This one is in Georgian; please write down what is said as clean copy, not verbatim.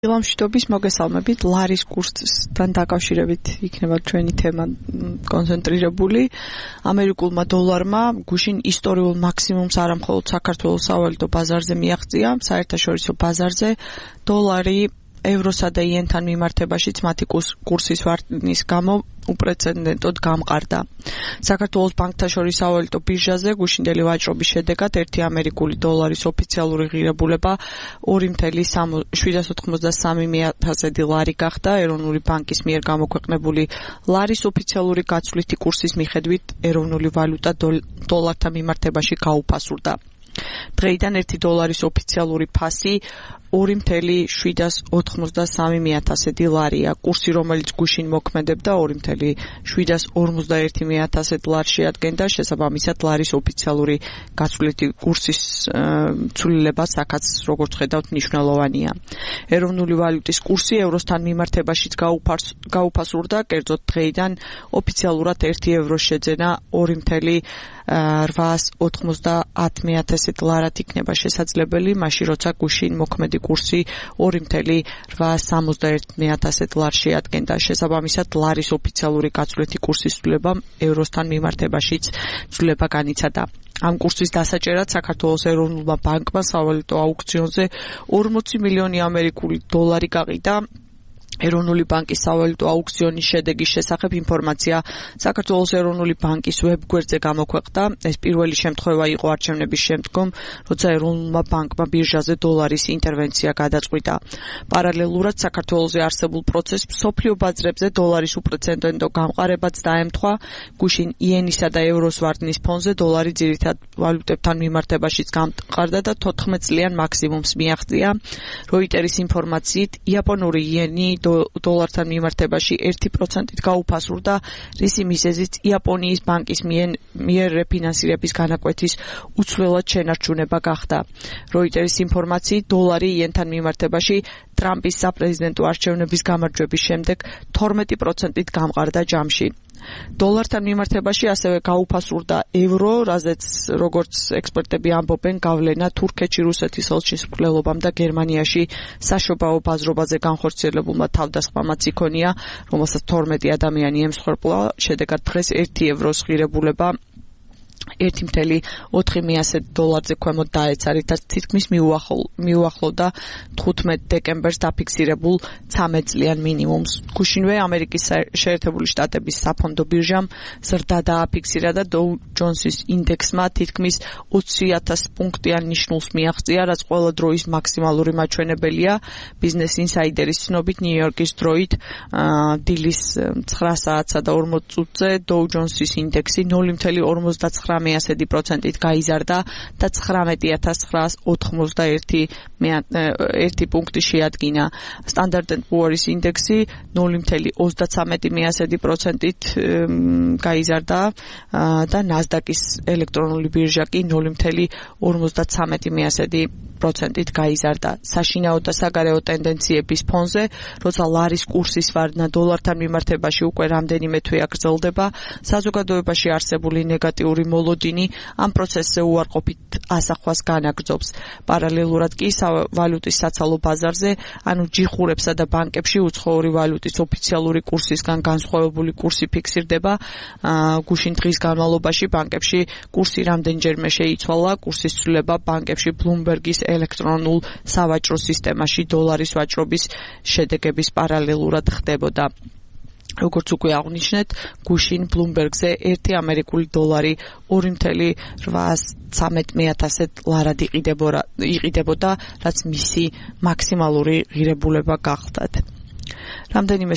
ილამშვიდობის მოგესალმებით ლარის კურსთან დაკავშირებით იქნება ჩვენი თემა კონცენტრირებული. ამერიკულმა დოლარმა გუშინ ისტორიულ მაქსიმუმს არა მხოლოდ საქართველოს სავალუტო ბაზარზე მიაღწია, საერთაშორისო ბაზარზე დოლარი ევროსა და იენთან მიმართებაშიც მათი კურსის ვარდნის გამო უპრეცედენტოდ გამყარდა. საქართველოს ბანკთა შორის სავალუტო ბირჟაზე გუშინდელი ვაჭრობის შედეგად 1 ამერიკული დოლარის ოფიციალური ღირებულება 2.793 ლარი გახდა. ეროვნული ბანკის მიერ გამოქვეყნებული ლარის ოფიციალური გაცვლითი კურსის მიხედვით ეროვნული ვალუტა დოლართან მიმართებაში გაუფასურდა. დღეიდან 1 დოლარის ოფიციალური ფასი 2.793 ლარია. კურსი, რომელიც გუშინ მოქმედებდა 2.751 ლარს შეადგენდა, შესაბამისად ლარის ოფიციალური გაცვლითი კურსის ცვლილებას აქაც როგორც ხედავთ მნიშვნელოვანია. ეროვნული ვალუტის კურსი ევროსთან მიმართებაშიც გაუფასურდა, კერძოდ დღეიდან ოფიციალურად 1 ევროს შეძენა 2.890 ლარად იქნება შესაძლებელი, მაშინ როცა გუშინ მოქმედი კურსი 2.861 ლარს შეადგენდა. შესაბამისად ლარის ოფიციალური გაცვლითი კურსის ცვლილება ევროსთან მიმართებაშიც ცვლილება განიცადა. ამ კურსის დასაჭერად საქართველოს ეროვნულმა ბანკმა სავალუტო აუქციონზე 40 მილიონი ამერიკული დოლარი გაყიდა. ეროვნული ბანკის სავალუტო აუქციონის შედეგის შესახებ ინფორმაცია საქართველოს ეროვნული ბანკის ვებგვერდზე გამოქვეყნდა. ეს პირველი შემთხვევა იყო არჩევნების შემდგომ, როცა ეროვნულმა ბანკმა ბირჟაზე დოლარის ინტერვენცია გადაწყვიტა. პარალელურად საქართველოში არსებულ პროცესს მსოფლიო ბაზრებზე დოლარის უპრეცედენტო გამყარებაც დაემთხვა. გუშინ იენისა და ევროს ვარდნის ფონზე დოლარი ძირითად ვალუტებთან მიმართებაშიც გამყარდა და 14 წლიან მაქსიმუმს მიაღწია. როიტერის ინფორმაციით იაპონური იენი დოლართან მიმართებაში 1%-ით გაუფასურდა, რისი მიზეზიც იაპონიის ბანკის მიერ რეფინანსირების განაკვეთის უცვლელად შენარჩუნება გახდა. როიტერის ინფორმაციით დოლარი იენთან მიმართებაში ტრამპის საპრეზიდენტო არჩევნების გამარჯვების შემდეგ 12%-ით გამყარდა ჯამში. დოლართან მიმართებაში ასევე გაუფასურდა ევრო, რაზეც როგორც ექსპერტები ამბობენ, გავლენა თურქეთში რუსეთის ხელშემსრულებლობამ და გერმანიაში საშობაო ბაზრობაზე განხორციელებულმა თავდასხმამაც იქონია, რომელსაც 12 ადამიანი ემსხვერპლა. შედეგად დღეს 1 ევროს ღირებულება 1.4 დოლარზე ქვემოთ დაეცა, რითაც თითქმის მიუახლოვდა 15 დეკემბერს დაფიქსირებულ 13 წლიან მინიმუმს. გუშინვე ამერიკის შეერთებული შტატების საფონდო ბირჟამ ზრდა დააფიქსირა და დოუ ჯონსის ინდექსმა თითქმის 20,000 პუნქტიან ნიშნულს მიაღწია, რაც ყველა დროის მაქსიმალური მაჩვენებელია. ბიზნეს ინსაიდერის ცნობით, ნიუ-იორკის დროით დილის 9 საათსა და 40 წუთზე დოუ ჯონსის ინდექსი 0.59%-ით გაიზარდა და 19,991 პუნქტი შეადგინა. Standard & Poor's ინდექსი 0.33%-ით გაიზარდა და NASDAQ-ის ელექტრონული ბირჟა კი 0.53%-ით გაიზარდა. საშინაო და საგარეო ტენდენციების ფონზე, როცა ლარის კურსის ვარდნა დოლართან მიმართებაში უკვე რამდენიმე თვეა გრძელდება, საზოგადოებაში არსებული ნეგატიური მოლოდინი ამ პროცესზე უარყოფით ასახვას განაგრძობს. პარალელურად კი ვალუტის საცალო ბაზარზე, ანუ ჯიხურებსა და ბანკებში უცხოური ვალუტის ოფიციალური კურსისგან განსხვავებული კურსი ფიქსირდება. გუშინ დღის განმავლობაში ბანკებში კურსი რამდენჯერმე შეიცვალა. კურსის ცვლილება ბანკებში ბლუმბერგის ელექტრონულ სავაჭრო სისტემაში დოლარის ვაჭრობის შედეგების პარალელურად ხდებოდა. როგორც უკვე აღვნიშნეთ, გუშინ ბლუმბერგზე 1 ამერიკული დოლარი 2.813 ლარად იყიდებოდა, რაც მისი მაქსიმალური ღირებულება გახლდათ. რამდენიმე